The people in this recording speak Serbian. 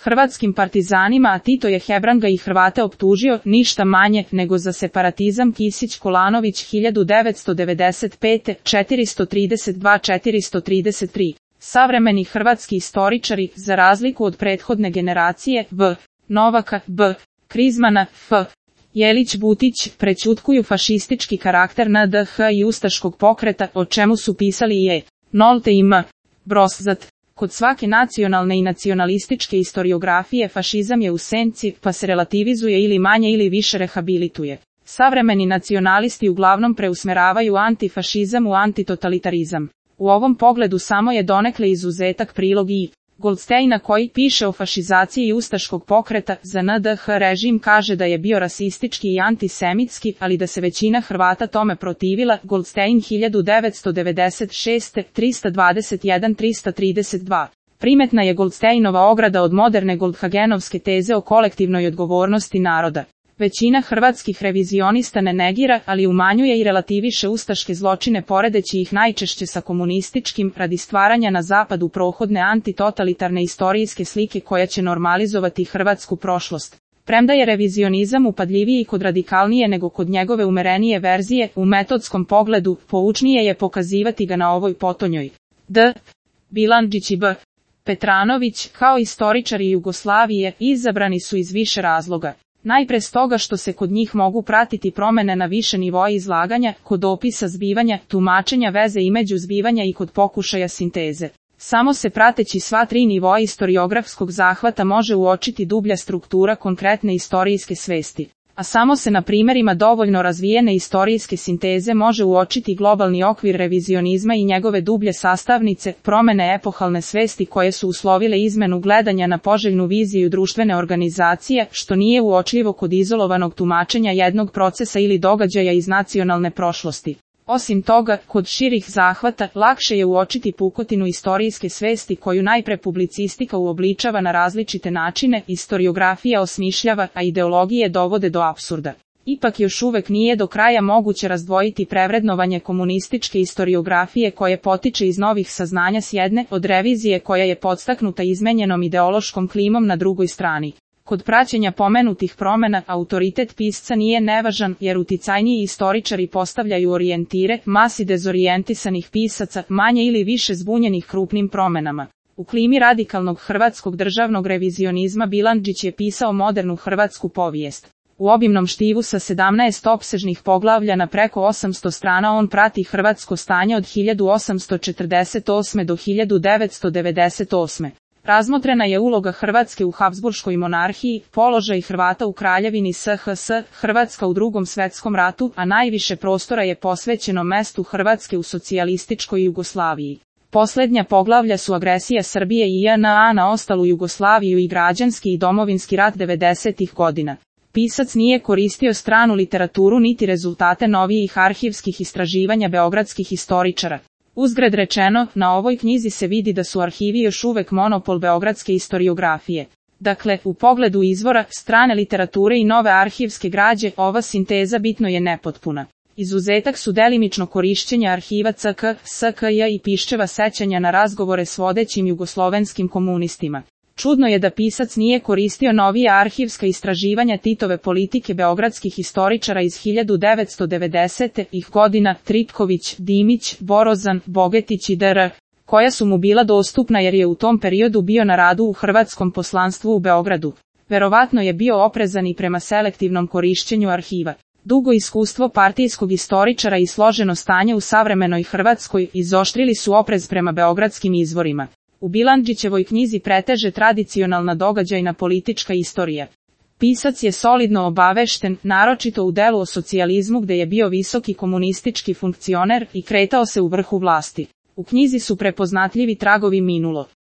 hrvatskim partizanima, a Tito je Hebranga i Hrvate optužio ništa manje nego za separatizam. Kisić Kolanović 1995. 432-433. Savremeni hrvatski istoričari, za razliku od prethodne generacije, V. Novaka, B. Krizmana, F. Jelić Butić, prećutkuju fašistički karakter NDH i ustaškog pokreta, o čemu su pisali i E. Nolte i M. Broszat. Kod svake nacionalne i nacionalističke historiografije fašizam je u senci, pa se relativizuje ili manje ili više rehabilituje. Savremeni nacionalisti uglavnom preusmeravaju antifašizam u antitotalitarizam. U ovom pogledu samo je donekle izuzetak prilog I. Goldsteina koji piše o fašizaciji ustaškog pokreta. Za NDH režim kaže da je bio rasistički i antisemitski, ali da se većina Hrvata tome protivila. Goldstein 1996. 321-332. Primetna je Goldsteinova ograda od moderne Goldhagenovske teze o kolektivnoj odgovornosti naroda. Većina hrvatskih revizionista ne negira, ali umanjuje i relativiše ustaške zločine poredeći ih najčešće sa komunističkim, radi stvaranja na zapadu prohodne antitotalitarne istorijske slike koja će normalizovati hrvatsku prošlost. Premda je revizionizam upadljiviji kod radikalnije nego kod njegove umerenije verzije, u metodskom pogledu, poučnije je pokazivati ga na ovoj potonjoj. D. Bilandžić i B. Petranović, kao istoričari Jugoslavije, izabrani su iz više razloga. Najpre stoga što se kod njih mogu pratiti promene na više nivoa izlaganja, kod opisa zbivanja, tumačenja veze između zbivanja i kod pokušaja sinteze. Samo se prateći sva tri nivoa istoriografskog zahvata može uočiti dublja struktura konkretne istorijske svesti. A samo se na primjerima dovoljno razvijene istorijske sinteze može uočiti globalni okvir revizionizma i njegove dublje sastavnice, promene epohalne svesti koje su uslovile izmenu gledanja na poželjnu viziju društvene organizacije, što nije uočljivo kod izolovanog tumačenja jednog procesa ili događaja iz nacionalne prošlosti. Osim toga, kod širih zahvata, lakše je uočiti pukotinu istorijske svesti koju najpre publicistika uobličava na različite načine, istoriografija osmišljava, a ideologije dovode do apsurda. Ipak još uvek nije do kraja moguće razdvojiti prevrednovanje komunističke istoriografije koje potiče iz novih saznanja s jedne, od revizije koja je podstaknuta izmenjenom ideološkom klimom na drugoj strani. Kod praćenja pomenutih promena, autoritet pisca nije nevažan, jer uticajniji istoričari postavljaju orijentire, masi dezorijentisanih pisaca, manje ili više zbunjenih krupnim promenama. U klimi radikalnog hrvatskog državnog revizionizma Bilandžić je pisao modernu hrvatsku povijest. U obimnom štivu sa 17 opsežnih poglavlja na preko 800 strana on prati hrvatsko stanje od 1848. do 1998. Razmotrena je uloga Hrvatske u Habsburškoj monarhiji, položaj Hrvata u kraljevini SHS, Hrvatska u Drugom svetskom ratu, a najviše prostora je posvećeno mestu Hrvatske u socijalističkoj Jugoslaviji. Posljednja poglavlja su agresija Srbije i JNA na ostalu Jugoslaviju i građanski i domovinski rat 90-ih godina. Pisac nije koristio stranu literaturu niti rezultate novijih arhivskih istraživanja beogradskih historičara. Uzgred rečeno, na ovoj knjizi se vidi da su arhivi još uvek monopol beogradske historiografije. Dakle, u pogledu izvora, strane literature i nove arhivske građe, ova sinteza bitno je nepotpuna. Izuzetak su delimično korišćenja arhiva CK, SKJ i Piščeva sećanja na razgovore s vodećim jugoslovenskim komunistima. Čudno je da pisac nije koristio novija arhivska istraživanja Titove politike beogradskih historičara iz 1990-ih godina, Tripković, Dimić, Borozan, Bogetić i dr., koja su mu bila dostupna jer je u tom periodu bio na radu u hrvatskom poslanstvu u Beogradu. Verovatno je bio oprezan i prema selektivnom korišćenju arhiva. Dugo iskustvo partijskog istoričara i složeno stanje u savremenoj Hrvatskoj izoštrili su oprez prema beogradskim izvorima. U Bilandžićevoj knjizi preteže tradicionalna događajna politička istorija. Pisac je solidno obavešten, naročito u delu o socijalizmu gde je bio visoki komunistički funkcioner i kretao se u vrhu vlasti. U knjizi su prepoznatljivi tragovi minulo.